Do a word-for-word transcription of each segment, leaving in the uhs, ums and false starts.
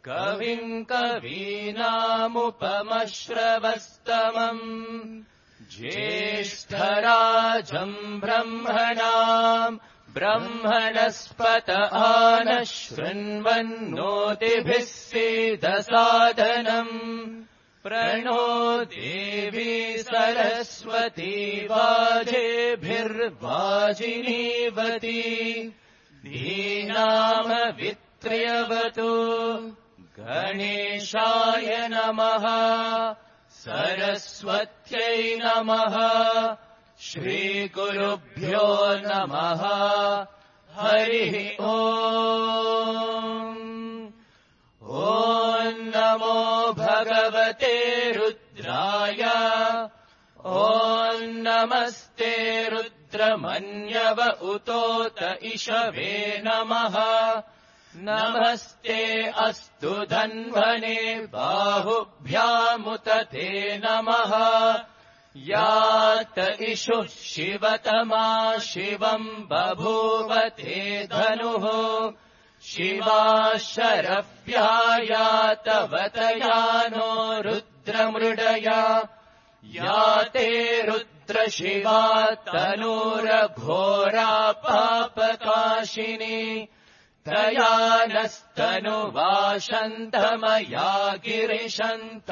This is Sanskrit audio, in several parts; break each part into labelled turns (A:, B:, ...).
A: कविम् कवीनामुपमश्रवस्तमम् ज्येष्ठराजम् ब्रह्मणाम् ब्रह्मणस्पत आनः शृण्वन्नोतिभिः सीदसादनम् प्रणो देवी सरस्वती वाजेभिर्वाजिनीवती धीनामवित्र्यवतु गणेशाय नमः सरस्वत्यै नमः श्रीगुरुभ्यो नमः हरिः ओम् ॐ नमो भगवते रुद्राय ॐ नमस्ते रुद्रमन्यव उतोत इषवे नमः नमस्ते अस्तु धन्वने बाहुभ्यामुत ते नमः यात इषुः शिवतमा शिवम् बभूव ते धनुः शिवा शरव्यायातवतयानो रुद्रमृडया याते रुद्रशिवा तनूरघोरा पापकाशिनी तया नस्तनुवाशन्तमया गिरिशन्ताभिचाकशेः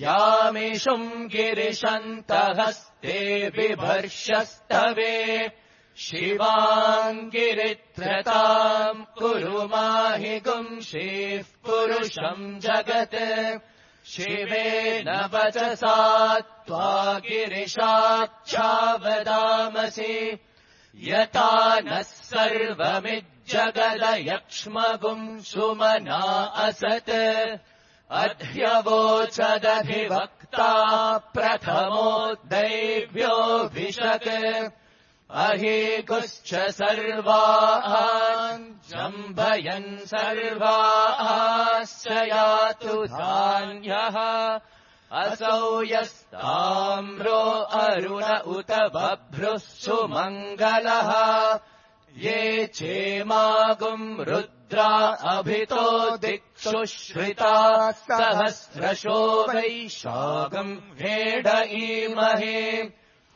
A: यामिषुम् गिरिशन्तहस्ते बिभर्षस्तवे शिवाङ्गिरित्रताम् कुरु माहि गुंशीः पुरुषम् जगत् शिवेन वचसा त्वा गिरिशाच्छावदामसि यथा नः सर्वमिज्जगदयक्ष्मगुम् सुमना असत् अध्यवोचदधिवक्ता प्रथमो दैव्योऽभिषक् अहीकुश्च सर्वान् जम्भयन् सर्वाश्च यातु धान्यः असौ यस्ताम्रो अरुण उत बभ्रुः सुमङ्गलः ये चेमागुम् रुद्रा अभितो दिक्षु श्रिताः सहस्रशो वैशाखम् भेडईमहे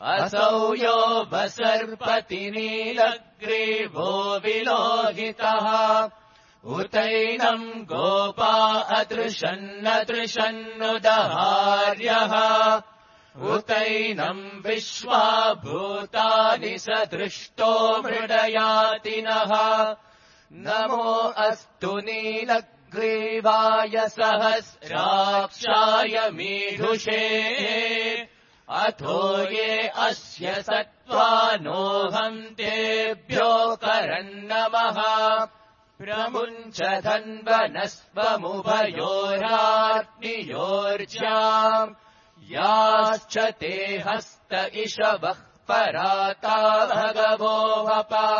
A: असौ यो वसर्पति नीलग्रीवो विलोहितः उतैनम् गोपा अदृशन्नदृशन्नुदहार्यः उतैनम् विश्वा भूतानि सदृष्टो मृडयातिनः नमो अस्तु नीलग्रीवाय सहस्राक्षाय मीढुषे अथो ये अस्य सत्त्वानोऽहम् तेभ्यो करन्नमः प्रमुञ्च धन्वनस्वमुभयोराग्नियोर्ज्याम् याश्च ते हस्त इषवः पराता भगवो वपा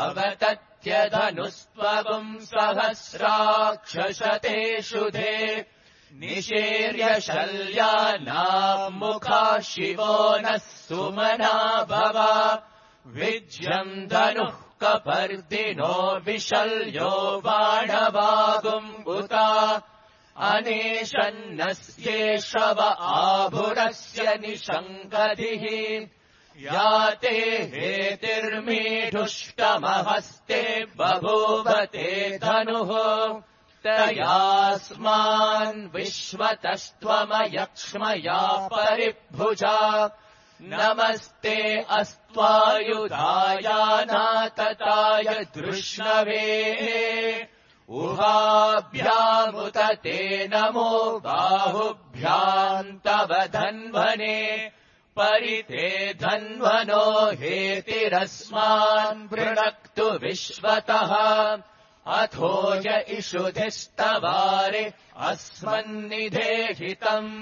A: अवतत्यधनुस्त्वगुम् सहस्राक्षशतेषु धे निशीर्य शल्यानाम् मुखा शिवो नः सुमना भव विज्यम् धनुः कपर्दिनो विशल्यो बाणवागुम्बुता अनेशन्नस्येषव आभुरस्य निशङ्कधिः याते हेतिर्मीढुष्टमहस्ते बभूवते धनुः तयास्मान् विश्वतस्त्वमयक्ष्मया परिभुजा नमस्ते अस्त्वायुधायानातताय दृष्णवे उहाभ्यामुत ते नमो बाहुभ्याम् तव धन्वने परिते धन्वनो हेतिरस्मान् वृणक्तु विश्वतः अथो य इषुधिस्तवारे अस्मन्निधेहितम्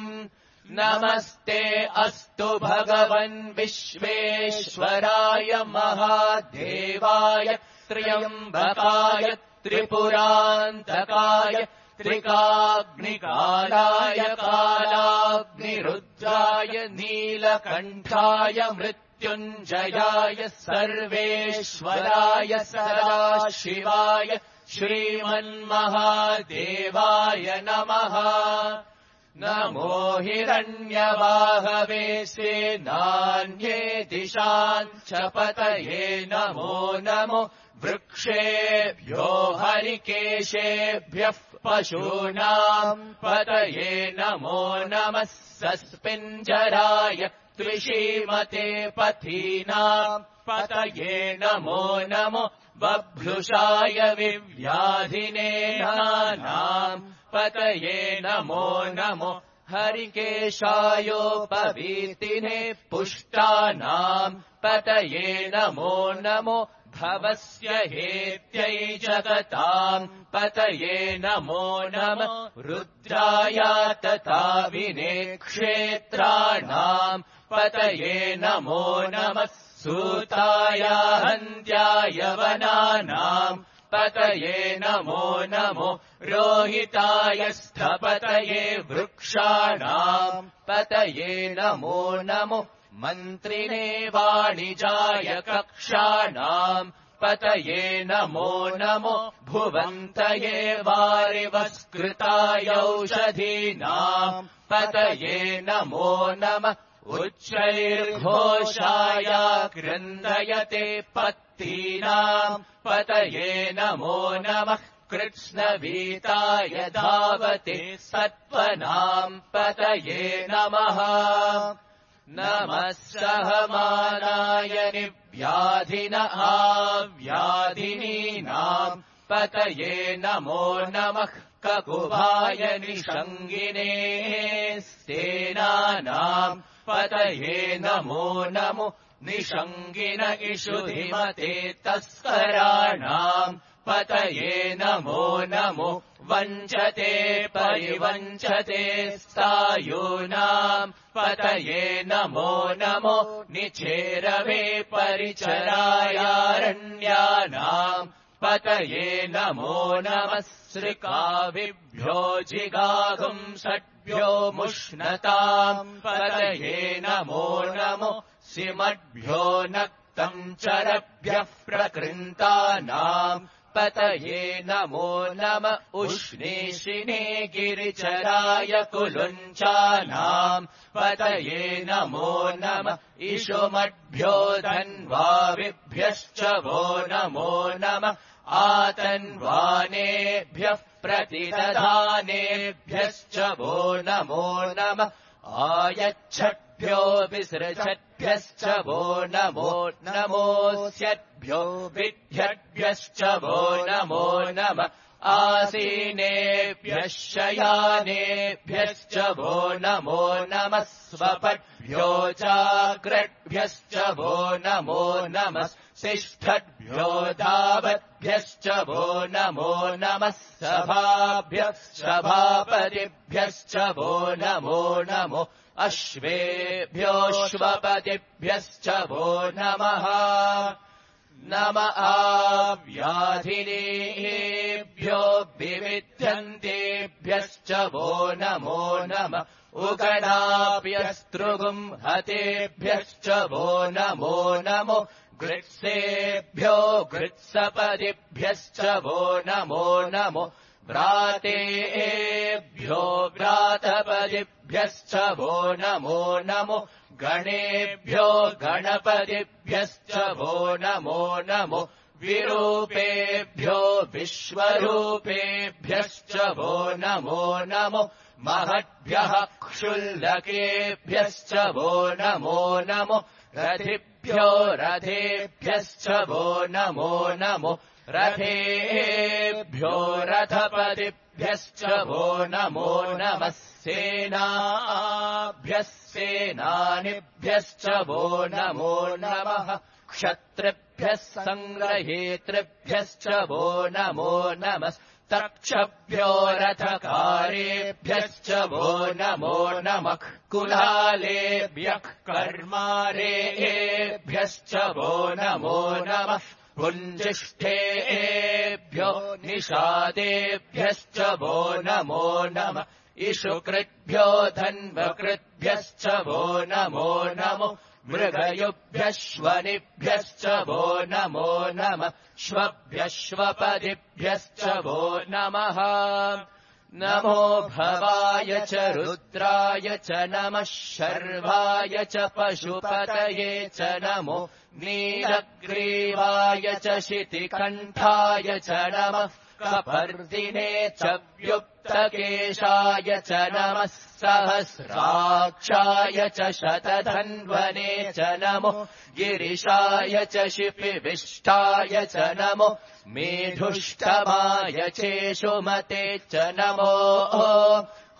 A: नमस्ते अस्तु भगवन् विश्वेश्वराय महादेवाय त्र्यम्बकाय त्रिपुरान्तकाय त्रिकाग्निकालाय कालाग्निरुद्राय नीलकण्ठाय मृत्युञ्जयाय मृत्युञ्जयाय सर्वेश्वराय सदाशिवाय श्रीमन्महादेवाय नमः। नमो हिरण्यवाहवे सेनान्ये दिशाञ्च पतये नमो नमो वृक्षेभ्यो हरिकेशेभ्यः पशूनाम् पतये नमो नमः। सस्पिञ्जराय त्रिशीमते पथीनाम् पतये नमो नमो बभ्रुषाय विव्याधिने नानाम् पतये नमो नमो हरिकेशायोपवीतिने पुष्टानाम् पतये नमो नमो भवस्य हेत्यै जगताम् पतये नमो नमः। रुद्राय तथा विने क्षेत्राणाम् पतये नमो नमः। सूताय हन्त्याय वनानाम् पतये नमो नमो रोहिताय स्थपतये वृक्षाणाम् पतये नमो नमो मन्त्रिणे वाणिजाय कक्षाणाम् पतये नमो नमो भुवन्तये वारिवस्कृताय औषधीनाम् पतये नमो नमः। उच्चैर्घोषाय क्रन्दयते पत्तीनाम् पतये नमो नमः। कृत्स्नवीताय धावते सत्त्वनाम् पतये नमः। नमः सहमानाय निव्याधिन आव्याधिनीनाम् पतये नमो नमः। ककुभाय निषङ्गिने सेनानाम् पतये नमो नमो निषङ्गिन इषुधिमते तस्कराणाम् पतये नमो नमो वञ्चते परिवञ्चते स्थायूनाम् पतये नमो नमो निचेरवे परिचरायारण्यानाम् पतये नमो नमः। सृकाविभ्यो जिगागुम् षड्भ्यो मुष्णताम् पतये नमो नमो सिमद्भ्यो नक्तम् चरभ्यः प्रकृन्तानाम् पतये नमो नम। उष्णीषिणे गिरिचराय कुलुञ्चानाम् पतये नमो नम। इषुमद्भ्यो धन्वाविभ्यश्च वो नमो नम। आतन्वानेभ्यः प्रतिदधानेभ्यश्च वो नमो नम। आयच्छद्भ्यो विसृजद्भ्यश्च वो नमो नमोऽस्यद्भ्यो विद्यद्भ्यश्च वो नमो नम। आसीनेभ्यः शयानेभ्यश्च वो नमो नमः। स्वपद्भ्यो जाग्रद्भ्यश्च वो नमो नमः। शिष्ठद्भ्यो धावद्भ्यश्च वो नमो नमः। सभाभ्यः सभापतिभ्यश्च वो नमो नमो। अश्वेभ्योऽश्वपतिभ्यश्च वो नमः। नम आव्याधिनेभ्यो विविध्यन्तेभ्यश्च वो नमो नम। उगणाभ्यस्तृगुम् हतेभ्यश्च वो नमो नमो। गृत्सेभ्यो गृत्सपदिभ्यश्च वो नमो नमो। व्रातेभ्यो व्रातपदिभ्यश्च वो नमो नमो। गणेभ्यो गणपतिभ्यश्च वो नमो नमो। विरूपेभ्यो विश्वरूपेभ्यश्च वो नमो नमो। महद्भ्यः क्षुल्लकेभ्यश्च वो नमो नमो। रथिभ्यो रथेभ्यश्च वो नमो नमो। रथेभ्यो रथपतिभ्यश्च वो नमो नमः। सेनाभ्यः सेनानिभ्यश्च वो नमो नमः। क्षत्रिभ्यः सङ्ग्रहेतृभ्यश्च वो नमो नमः। तक्षभ्यो रथकारेभ्यश्च वो नमो नमः। कुलालेभ्यः कर्मारेभ्यश्च वो नमो नमः। पुञ्जिष्ठेभ्यो निषादेभ्यश्च वो नमो नमः। इषुकृद्भ्यो धन्वकृद्भ्यश्च वो नमो नमो। मृगयुभ्यश्वनिभ्यश्च वो नमो नमः श्वभ्यश्वपदिभ्यश्च वो नमः नमो भवाय च रुद्राय च नमः शर्वाय च पशुपतये च नमो नीलग्रीवाय च शितिकण्ठाय च नमः कपर्दिने च व्युक्तकेशाय च नमः सहस्राक्षाय च शतधन्वने च नमो गिरिशाय च शिपिविष्टाय च नमो मेधुष्टमाय चेषुमते च नमो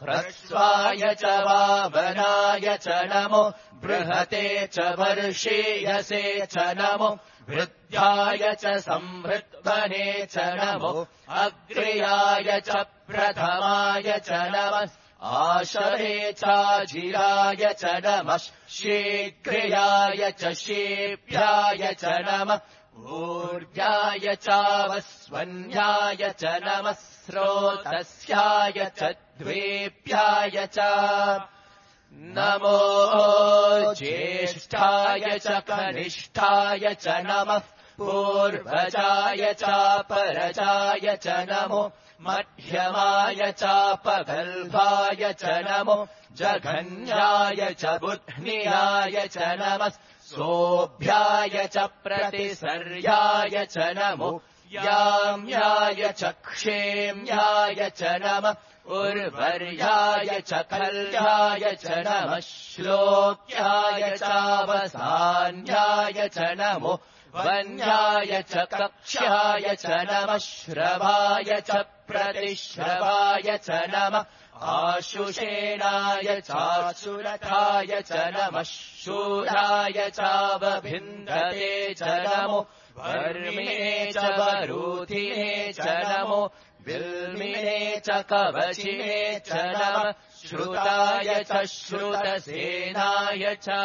A: ह्रस्वाय च वामनाय च नमो बृहते च वर्षीयसे च नमो वृद्ध्याय च संहृद्वने च नमो अग्र्याय च प्रथमाय च नमः आशरे चाजिराय च नमः शीघ्र्याय च शीभ्याय च नमः ऊर्जाय चावस्वन्याय च नमः स्रोतस्याय च द्वेभ्याय च नमो ज्येष्ठाय च कनिष्ठाय च नमः पूर्वजाय चापरजाय च नमो मध्यमाय चापगल्भाय च नमो जघन्याय च बुध्नियाय च नमः सोऽभ्याय च प्रतिसर्याय च नमो याम्याय च क्षेम्याय च नमः उर्वर्याय च कल्याय च नमः श्लोक्याय चावसान्याय च नमो वन्याय च कक्ष्याय च नमः श्रवाय च प्रतिश्रवाय च नमः आशुषेणाय चासुरथाय च नमः शूराय चावभिन्दते च नमो वर्मिणे च वरूधिने च नमो विल्मिने च कवचिने च नमः श्रुताय च श्रुतसेनाय च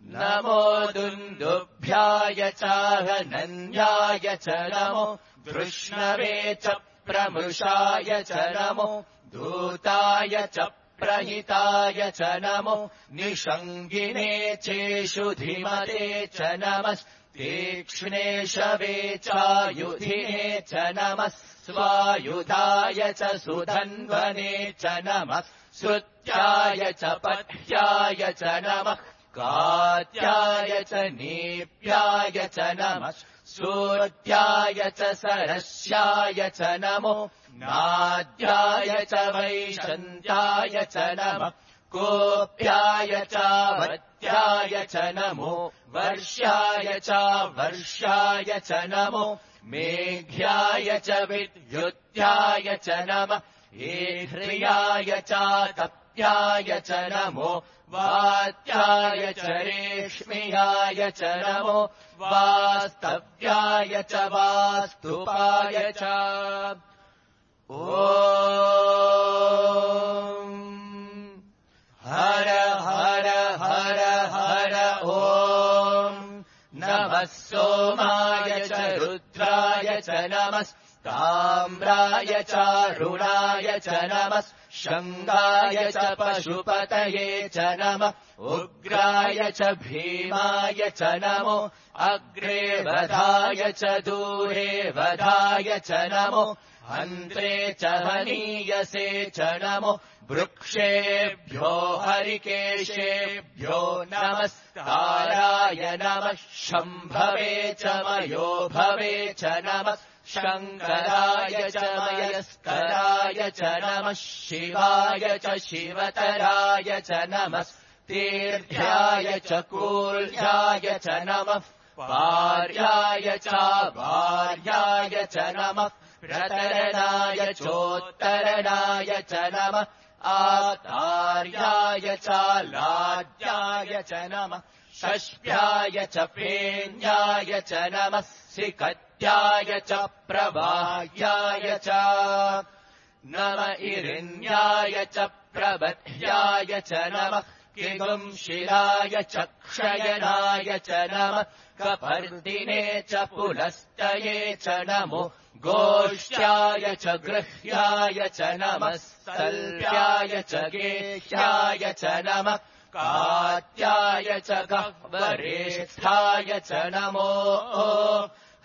A: नमो दुन्दुभ्याय चाहनन्याय च नमो धृष्णवे च प्रमृषाय च नमो दूताय च प्रहिताय च नमो निषङ्गिने चेषुधिमते च नमः तीक्ष्णेशवे चायुधिने च नमः स्वायुधाय च सुधन्वने च नमः श्रुत्याय च पथ्याय च नमः कात्याय च नेप्याय च नमः सूर्याय च सरस्याय च नमो नाद्याय च वैशन्त्याय च नमः कोप्याय चावत्याय च नमो वर्ष्याय चावर्ष्याय च नमो मेघ्याय च विद्युत्याय च नमः एह्र्याय चातप्याय च नमो वात्याय च रेष्म्याय च नमो वास्तव्याय च वास्तुपाय च ॐ हर हर हर हर ॐ नमः सोमाय च रुद्राय च नमः ताम्राय चारुणाय च नमः शङ्गाय च पशुपतये च नमः उग्राय च भीमाय च नमो अग्रे वधाय च दूरे वधाय च नमो हन्त्रे च हनीयसे च नमो वृक्षेभ्यो हरिकेशेभ्यो नमस्काराय नमः शम्भवे च मयो भवे च नमः शङ्कराय च मयस्कराय च नमः शिवाय च शिवतराय च नमः तीर्थ्याय च कूल्याय च नमः पार्याय च भार्याय च नमः प्रतरणाय चोत्तरणाय च नमः आतार्याय च लाड्याय च नमः षष्ठ्याय च फेन्याय च नमः सिकत्याय च प्रवाह्याय च नम इरिन्याय च प्रबध्याय च नमः किगुंशिलाय च क्षयनाय च नमः कपर्दिने च पुलस्तये च नमो गोष्ठ्याय च गृह्याय च नमः सल्प्याय च गेह्याय च नमः कात्याय च गह्वरेष्ठाय च नमो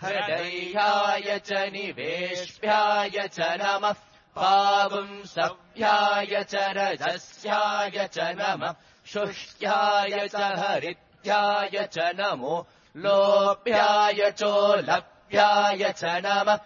A: हृदयाय च निवेश्याय च नमः पावुंसभ्याय च रजस्याय च नमः शुष्याय च हरित्याय च नमो लोभ्याय चोलभ्याय च नमः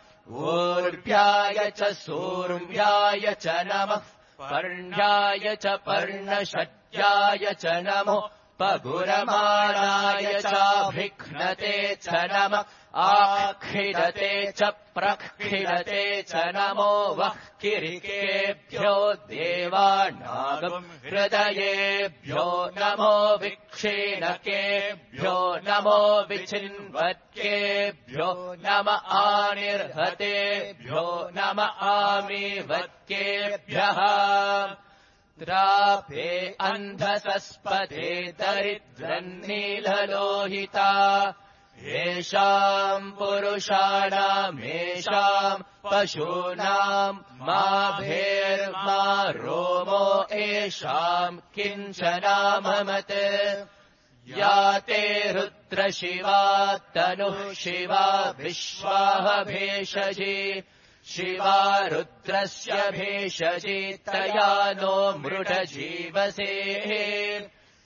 A: ऊर्भ्याय च सूर्व्याय च नमः पर्ण्याय च पर्णषड्याय च नमो पगुरमाणाय चाभिघ्नते च नमः आक्षिरते च प्रक्षिरते च नमो वः किरिकेभ्यो देवानागम् हृदयेभ्यो नमो विक्षीणकेभ्यो नमो विचिन्वत्केभ्यो नम आनिर्हतेभ्यो नम आमीवत्केभ्यः द्राभे अन्धसस्पदे दरिद्रन्नीललोहिता येषाम् पुरुषाणामेषाम् पशूनाम् मा भेर्मा रोमो येषाम् किञ्चनाममत् या ते रुद्रशिवा तनुः शिवा विश्वाह भेषजी शिवा रुद्रस्य भेषजी तया नो मृडजीवसे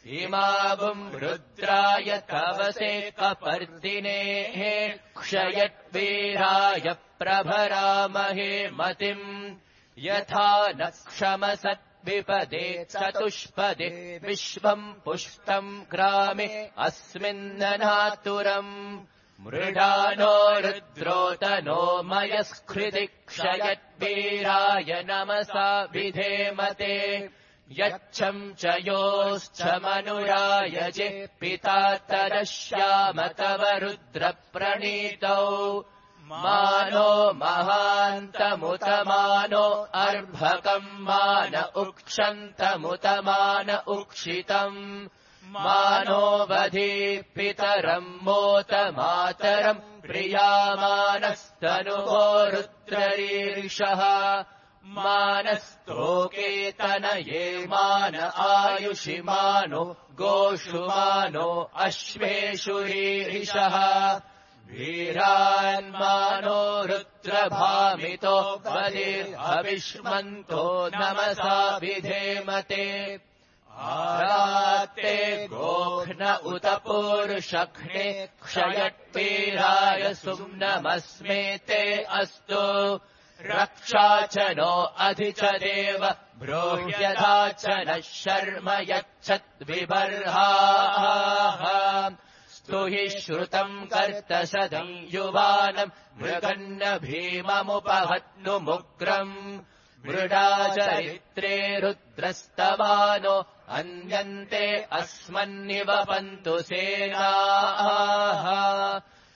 A: इमावुम् रुद्राय तवसे कपर्दिनेः क्षयद्वीराय प्रभरामहे मतिम् यथा न क्षमसद्विपदे चतुष्पदे विश्वम् पुष्टम् ग्रामे अस्मिन्ननातुरम् मृडानो रुद्रोतनो मयस्कृति क्षयद्वीराय नमसा विधेमते यच्छम् च योश्च मनुरायजे पिता तरश्याम तव रुद्रप्रणीतौ मानो महान्तमुतमानो अर्भकम् मान उक्षन्तमुतमान उक्षितम् मानो वधी पितरम् मोत मातरम् प्रियामानस्तनुवो रुद्ररीर्षः मानस्तोकेतनये मान आयुषि मानो गोषु मानो अश्वेषु रीरिषः वीरान्मानो रुद्रभामितो वदिर्हविष्मन्तो नमसा विधेमते आरात्ते गोघ्न उत पूरुषघ्ने क्षयट्वीराय सुम्नमस्मे ते अस्तु रक्षा च नो अधि च देव ब्रूह्यथा च नः शर्म यच्छद्विबर्हाः स्तु हि श्रुतम् कर्तशदम् युवानम् मृगन्न भीममुपहत्नुमुग्रम् मृडाचरित्रे रुद्रस्तवानो अन्यन्ते अस्मन्निवपन्तु सेनाः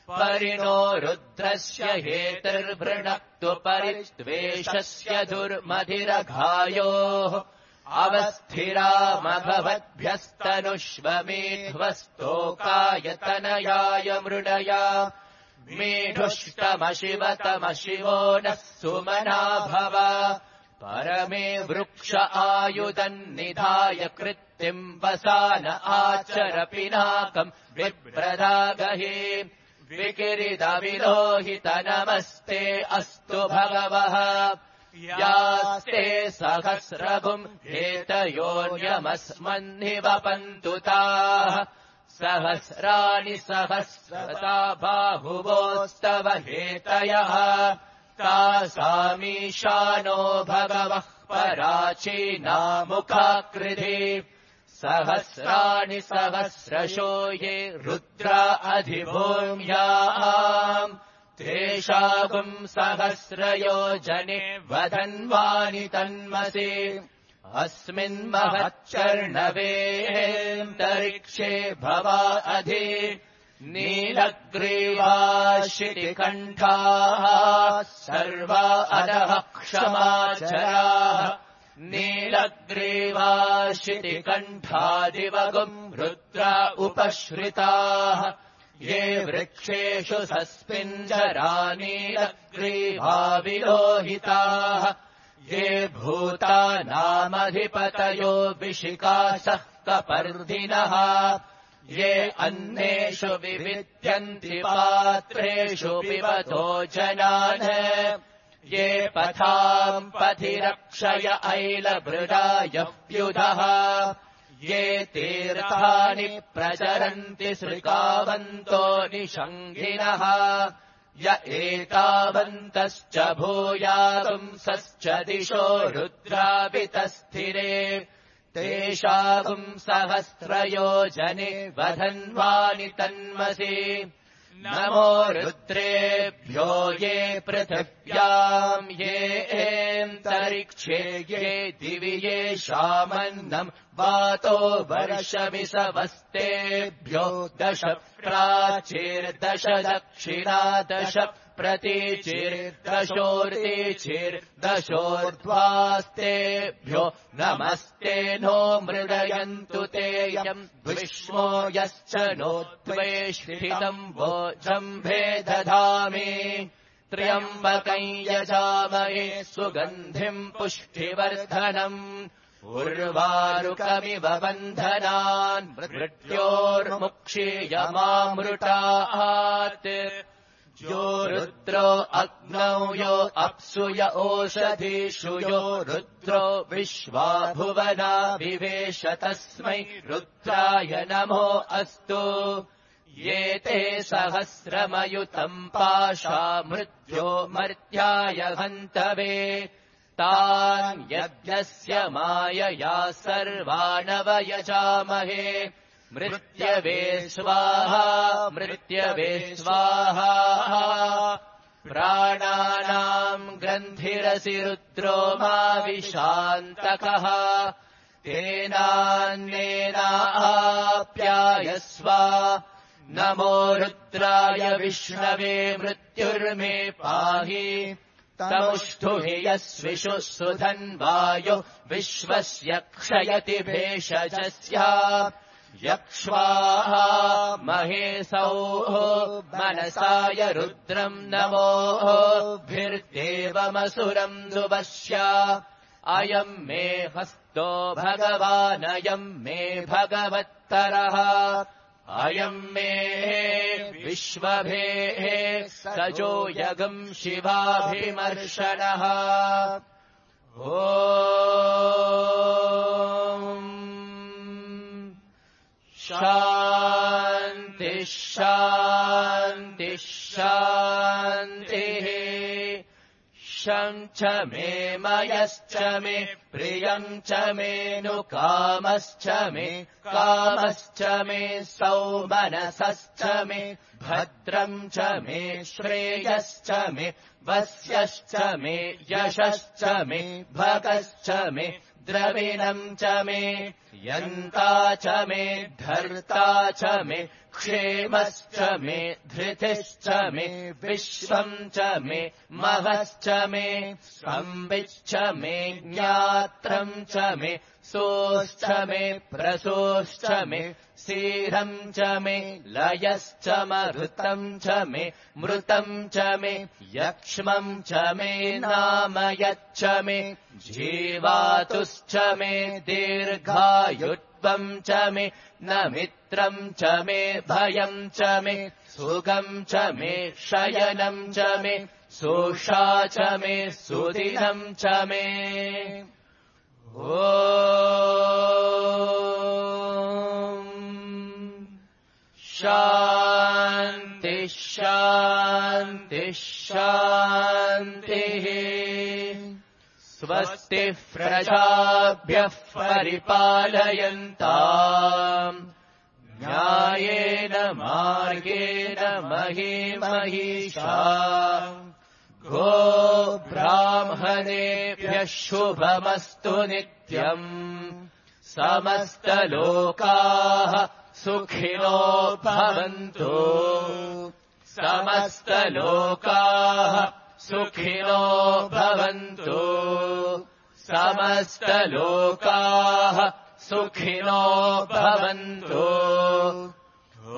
A: परिणो रुद्रस्य हेतुर्वृणक्तु परिद्वेषस्य दुर्मधिरघायोः अवस्थिरामभवद्भ्यस्तनुष्वमेध्वस्तोकाय मृडया मेढुष्टमशिवतमशिवो नः सुमना भव परमे वृक्ष आयुधन्निधाय कृत्तिम् वसान आचर पिनाकम् विप्रदागहे विकिरिदविलोहित नमस्ते अस्तु भगवः यास्ते सहस्रभुम् हेतयोन्यमस्मन्निवपन्तु ताः सहस्राणि सहस्रता बाहुवोस्तव हेतयः तासामीशानो भगवः पराचीनामुखाकृधि सहस्राणि सहस्रशो ये रुद्रा अधिभूम्याम् तेषागुम् सहस्रयोजने वधन्वानि तन्मसि अस्मिन्महच्चर्णवेऽन्तरिक्षे भवा अधि नीलग्रीवाशितिकण्ठाः सर्वा अधः क्षमाचराः नीलग्रीवाशितिकण्ठादिवगुम् रुद्रा उपश्रिताः ये वृक्षेषु सस्मिञ्जरा नीलग्रीवा विलोहिताः ये भूतानामधिपतयो विशिकासः कपर्दिनः ये अन्नेषु विविद्यन्ति पात्रेषु पिबतो जनान् ये पथाम् पथिरक्षय ऐलभृडायप्युधः ये तीर्थानि प्रचरन्ति सृकावन्तो निषङ्गिनः य एतावन्तश्च भूयापुंसश्च दिशो रुद्रापितस्थिरे तेषाम् सहस्रयोजने वधन्वानि तन्मसि नमो रुद्रेभ्यो ये पृथिव्याम् ये एन्तरिक्षे ये दिवि ये शामन्नम् वातो वर्षमिसवस्तेभ्यो दश प्राचीर्दश दक्षिणा दश प्रतीचिर्दशोर्तीचिर्दशोर्ध्वास्तेभ्यो नमस्ते नो मृडयन्तु तेयम् विष्मो यश्च नो त्वेष्ठितम् वोजम्भे दधामि त्र्यम्बकम् यजामहे सुगन्धिम् पुष्टिवर्धनम् उर्वारुकमिव बन्धनान् मृत्योर्मुक्षीयमामृतात् यो रुद्रो अग्नौ यो अप्सु य ओषधीषु यो रुद्रो विश्वा भुवना विवेश तस्मै रुद्राय नमो अस्तु ये ते सहस्रमयुतम् पाशा मृत्यो मर्त्याय हन्तवे तान् यज्ञस्य मायया सर्वानवयजामहे मृत्यवे स्वाहा मृत्यवे स्वाहा प्राणानाम् ग्रन्थिरसि रुद्रो मा विशान्तकः तेनान्नेनाप्यायस्व नमो रुद्राय विष्णवे मृत्युर्मे पाहि तमुष्टु हि यस्विषु सुधन्वायो विश्वस्य क्षयति भेषजस्य यक्ष्वाः महेशौः मनसाय रुद्रम् नमोभिर्देवमसुरम् दुवश्य अयम् मे हस्तो भगवानयम् मे भगवत्तरः अयम् मे विश्वभेः सजो यगम् शिवाभिमर्शनः ॐ शान्ति शान्ति शान्तिः शं च मे मयश्च मे प्रियम् च मे नु कामश्च मे कामश्च मे सौमनसश्च मे भद्रम् च मे श्रेयश्च मे वस्यश्च मे यशश्च मे भगश्च मे द्रविणम् च मे यन्ता च मे धर्ता च मे क्षेमश्च मे धृतिश्च मे विश्वम् च मे महश्च मे संविच्च मे ज्ञात्रम् च मे सोश्च मे प्रसोश्च मे सीरम् च मे लयश्च मरुतम् च मे मृतम् च मे यक्ष्मम् च मे नामयच्च मे जीवातुश्च मे दीर्घायुत्वम् च मे न मित्रम् च मे भयम् च मे सुगम् च मे शयनम् च मे सोषा च मे सुदिनम् च मे ॐ शान्ति शान्ति शान्तिः स्वस्ति प्रजाभ्यः परिपालयन्ताम् न्यायेन मार्गेण महीमहीषा गो ब्राह्मणेभ्यः शुभमस्तु नित्यम् समस्तलोकाः सुखिनो भवन्तु समस्तलोकाः सुखिनो भवन्तु समस्तलोकाः सुखिनो भवन्तु ॐ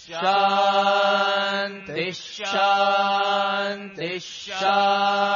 A: शान्ति शान्ति शान्तिः